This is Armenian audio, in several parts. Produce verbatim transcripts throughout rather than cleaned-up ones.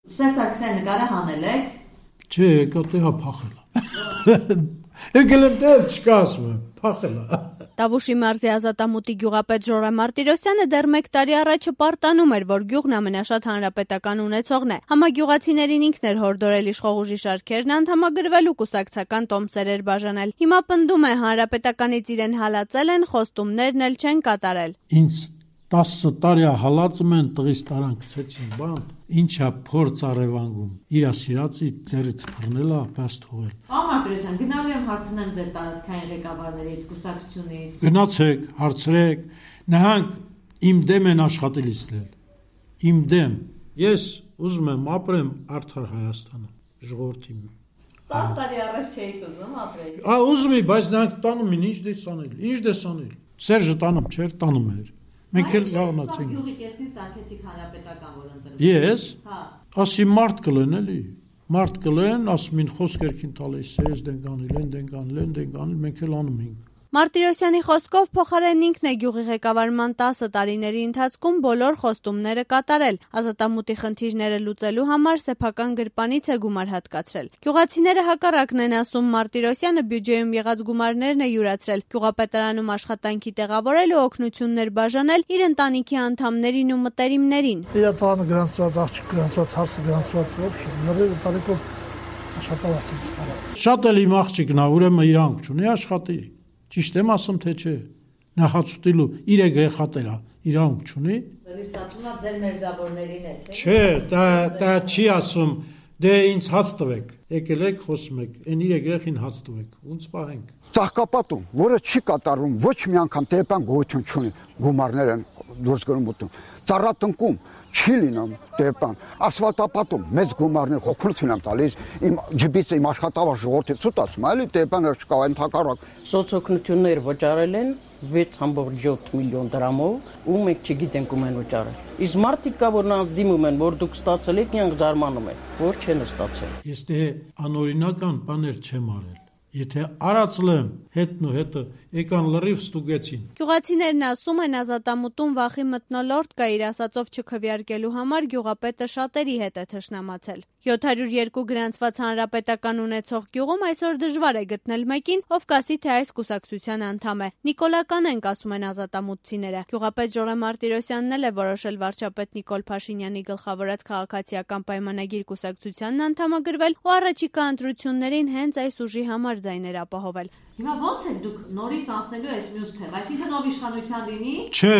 Սերժ Սարգսյանը նկարը հանել եք։ Չէ, եկա տեղա փախել։ Եկել եմ տեղ չկա ասում եմ, փախել է։ Տավուշի մարզի ազատամուտի գյուղապետ Ժորայ Մարտիրոսյանը դեռ մեկ տարի առաջ պարտանում էր, որ գյուղն ամենաշատ հանրապետական ունեցողն է։ Համագյուղացիներին ինքն էր հորդորել իշխող ուժի շարքերն անդամագրվել ու կուսակցական տոմսեր էր բաժանել։ Հիմա պնդում է, հանրապետականից իրեն հալածել են, խոստումներն էլ չեն կատարել։ Ինձ տասը տարի հալածում են, տղիս տարան գցեցին բան, ինչա փորձ արևանգում, իրա սիրածի ձեռից բռնել է, պես թողել։ Պարոն Մարտիրոսյան, գնալու եմ հարցնեմ ձեր տարածքային ղեկավարներից, կուսակցությունից։ Գնացեք, հարցրեք, նահանք իմ դեմ են աշխատելիս լել, իմ դեմ, ես ուզում եմ ապրեմ արդար Հայաստանում, ժողովրդի։ տասը տարի առաջ չէիք ուզում ապրել։ Ա ուզում էի, բայց նրանք տանում են, ինչ դես անել, ինչ դես անել։ Սերժը տանում չէր, տանում էր։ Մենք էլ լավնացինք։ Գյուղի կեսին սարքեցիք հանրապետական, որ ընտրվի։ Ես, հա, ասի մարդ կլեն էլի, մարդ կլեն, ասում են խոսքերքին տալիս, ես դեն կանել, են դեն կանել, են դեն կանել, մենք էլ անում ենք։ Մարտիրոսյանի խոսքով փոխարեն ինքն է գյուղի ղեկավարման տասը տարիների ընթացքում բոլոր խոստումները կատարել։ Ազատամուտի խնդիրները լուծելու համար սեփական գրպանից է գումար հատկացրել։ Գյուղացիները հակառակն են ասում, Մարտիրոսյանը բյուջեում եղած գումարներն է յուրացրել, գյուղապետարանում աշխատանքի տեղավորել ու օգնություններ բաժանել իր ընտանիքի անդամներին ու մտերիմներին։ Իր տանը գրանցված, աղջիկ գրանցված, հարսը գրանցված, ոբշե, նորերը տարեկով աշխատավարձ են ստանալ։ Շատ էլ իմ աղջիկն է, ուրեմն իրանք չունի աշխատի։ Ճիշտ եմ ասում, թե չէ։ Նա հաց ուտելու իր երեխաներ է, իրանք չունի։ Դեռ ստացվում է ձեր մերձավորներին է, թե։ Չէ, դա դա չի ասում, դե ինձ հաց տվեք։ Եկել եք, խոսում եք, այն իր երեխին հաց տվեք, ոնց պահենք։ Ծաղկապատում, որը չի կատարվում, ոչ մի անգամ տեպան գոյություն չունի, գումարներ են դուրս գնում ուտում։ Ծառատնկում չի լինում տեպան, ասֆալտապատում մեծ գումարներ օգնություն են տալիս, իմ ջիբից իմ աշխատավարձ ժողովրդի ցույց ասում, այլ տեպանը չկա այն թակարակ։ Սոցօգնություններ վճարել են վեց կόμμα յոթ միլիոն դրամով, ու մենք չգիտենք ում են վճարել։ Իսկ մարդիկ կա, որ նրանց դիմում են, որ դուք ստացել եք, նրանք զարմանում են, որ չեն ստացել։ Ես դե անօրինական բաներ չեմ արել։ Եթե արածլեմ հետն ու հետը եկան լրիվ ստուգեցին։ Գյուղացիներն ասում են, ազատամուտում վախի մթնոլորտ կա, իր ասածով չքվեարկելու համար գյուղապետը շատերի հետ է թշնամացել։ յոթ հարյուր երկու գրանցված հանրապետական ունեցող գյուղում այսօր դժվար է գտնել մեկին, ով կասի, թե այս կուսակցության անդամ է։ Նիկոլական ենք, ասում են ազատամուտցիները։ Գյուղապետ Ժորայ Մարտիրոսյանն էլ է որոշել վարչապետ Նիկոլ Փաշինյանի գլխավորած քաղաքացիական պայմանագիր կուսակցությանն անդամագրվել ու առաջիկա ընտրություններին հենց այս ուժի համար ձայներ ապահովել։ Հիմա ո՞նց եք դուք նորից անցնելու այս մյուս թեմ, այսինքն ով իշխանության լինի։ Չէ,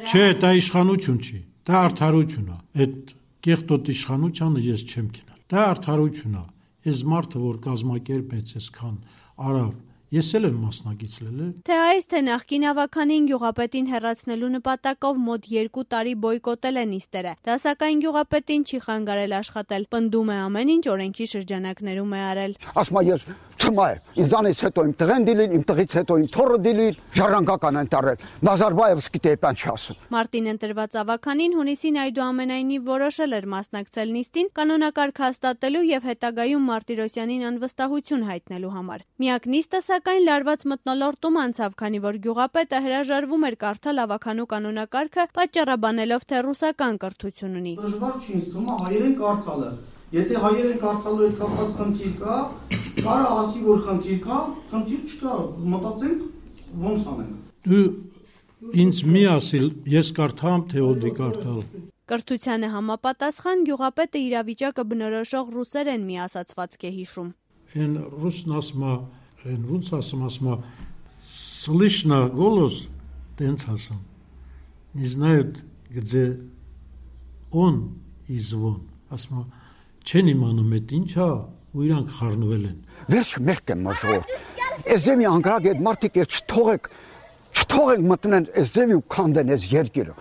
չէ, դա իշխանություն չի, դա արդարություն է։ Այդ կեղտոտ իշխանությանը ես չեմ գնալ։ Դա արդարություն է։ Այս մարդը, որ կազմակերպեց այսքան արավ, ես էլ եմ մասնակիցել։ Թե այս թե նախկին ավականին գյուղապետին հեռացնելու նպատակով մոտ երկու տարի բոյկոտել են նիստերը։ Դա սակայն գյուղապետին չի խանգարել աշխատել։ Պնդում է ամեն ինչ օրենքի շրջանակներում է արել։ Ասում ես Չմա է, ինձանից հետո իմ տղեն դիլին, իմ տղից հետո իմ թորը դիլին, ժառանգական են տարել, Նազարբաևսկի տեպան չասում։ Մարտին ընտրված ավականին հունիսին այդուամենայնիվ որոշել էր մասնակցել նիստին կանոնակարգ հաստատելու եւ հետագայում Մարտիրոսյանին անվստահություն հայտնելու համար։ Միակ նիստը սակայն լարված մթնոլորտում անցավ, քանի որ գյուղապետը հրաժարվում էր կարդալ ավականու կանոնակարգը, պատճառաբանելով, թե ռուսական կրթություն ունի։ Դժվար չի ինձ թվում հայերեն կարդալը։ Եթե հայերեն կարդալու հետ կապված խնդիր կա, կարա ասի, որ խնդիր կա, խնդիր չկա, մտածենք ոնց անենք։ Դու ինձ մի ասիլ, ես կարդամ, թե ոդի կարդալ։ Կրթությանը համապատասխան գյուղապետը իրավիճակը բնորոշող ռուսերեն մի ասացվածք է հիշում։ Այն ռուսն ասում է, այն ոնց ասում ասում է, слышно голос, տենց ասում։ Не знают, где он и звон, ասում է չեն իմանում այդ ինչա ու իրանք խառնվել են։ Վերջ մեղք եմ մժոր։ Էզեմի անգրագ այդ մարդիկ էր չթողեք, չթողեք մտնեն էզեմի ու քանդեն այս երկիրը։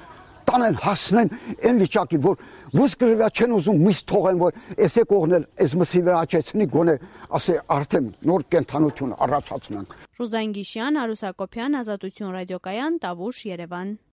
Տանեն հասնեն այն վիճակի, որ ոսկրվա չեն ուզում միս թողեն, որ էսե կողնել, այս մսի վրա աչեցնի գոնե, ասե արդեն նոր կենթանություն առաջացնենք։ Ռուզան Գիշյան, Արուս Հակոբյան, Ազատություն ռադիոկայան, Տավուշ, Երևան։